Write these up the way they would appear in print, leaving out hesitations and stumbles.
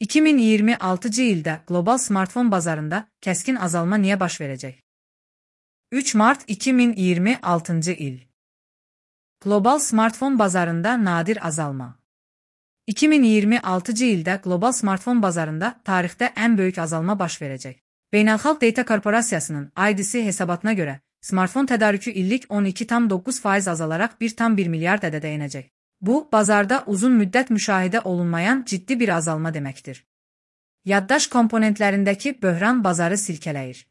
2026 ildə qlobal smartfon bazarında kəskin azalma niyə baş verəcək? 3 mart 2026 il. Qlobal smartfon bazarında nadir azalma. 2026 ildə qlobal smartfon bazarında tarixdə ən böyük azalma baş verəcək. Beynəlxalq Data Korporasiyasının IDC hesabatına görə, smartfon tədarükü illik 12,9% azalaraq 1,1 milyard ədədə enəcək. Bu, bazarda uzun müddət müşahidə olunmayan ciddi bir azalma deməkdir. Yaddaş komponentlərindəki böhran bazarı silkələyir.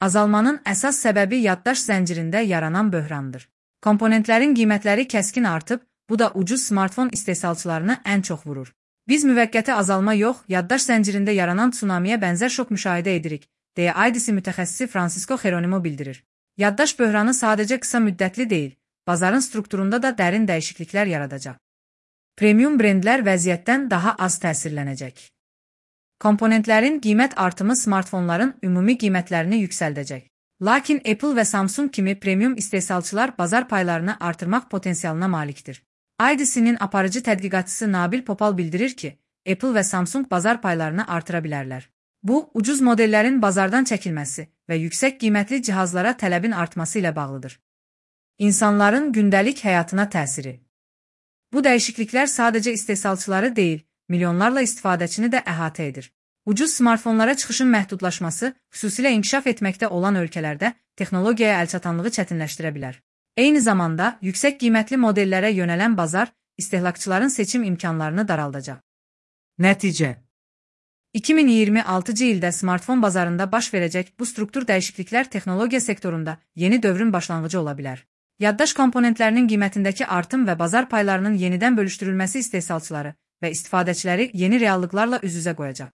Azalmanın əsas səbəbi yaddaş zəncirində yaranan böhrandır. Komponentlərin qiymətləri kəskin artıb, bu da ucuz smartfon istehsalçılarını ən çox vurur. Biz müvəqqəti azalma yox, yaddaş zəncirində yaranan tsunamiyə bənzər şok müşahidə edirik, deyə IDC mütəxəssisi Francisco Geronimo bildirir. Yaddaş böhranı sadəcə qısa müddətli deyil, bazarın strukturunda da dərin dəyişikliklər yaradacaq. Premium brendlər vəziyyətdən daha az təsirlənəcək. Komponentlərin qiymət artımı smartfonların ümumi qiymətlərini yüksəldəcək. Lakin Apple və Samsung kimi premium istehsalçılar bazar paylarını artırmaq potensialına malikdir. IDC-nin aparıcı tədqiqatçısı Nabil Popal bildirir ki, Apple və Samsung bazar paylarını artıra bilərlər. Bu, ucuz modellərin bazardan çəkilməsi və yüksək qiymətli cihazlara tələbin artması ilə bağlıdır. İnsanların gündəlik həyatına təsiri. Bu dəyişikliklər sadəcə istehsalçıları deyil, milyonlarla istifadəçini də əhatə edir. Ucuz smartfonlara çıxışın məhdudlaşması, xüsusilə inkişaf etməkdə olan ölkələrdə texnologiyaya əlçatanlığı çətinləşdirə bilər. Eyni zamanda, yüksək qiymətli modellərə yönələn bazar, istehlakçıların seçim imkanlarını daraldacaq. Nəticə 2026 ildə smartfon bazarında baş verəcək bu struktur dəyişikliklər texnologiya sektorunda yeni dövrün başlanğıcı ola bilər. Yaddaş komponentlərinin qiymətindəki artım və bazar paylarının yenidən bölüşdürülməsi istehsalçıları və istifadəçiləri yeni reallıqlarla üz-üzə qoyacaq.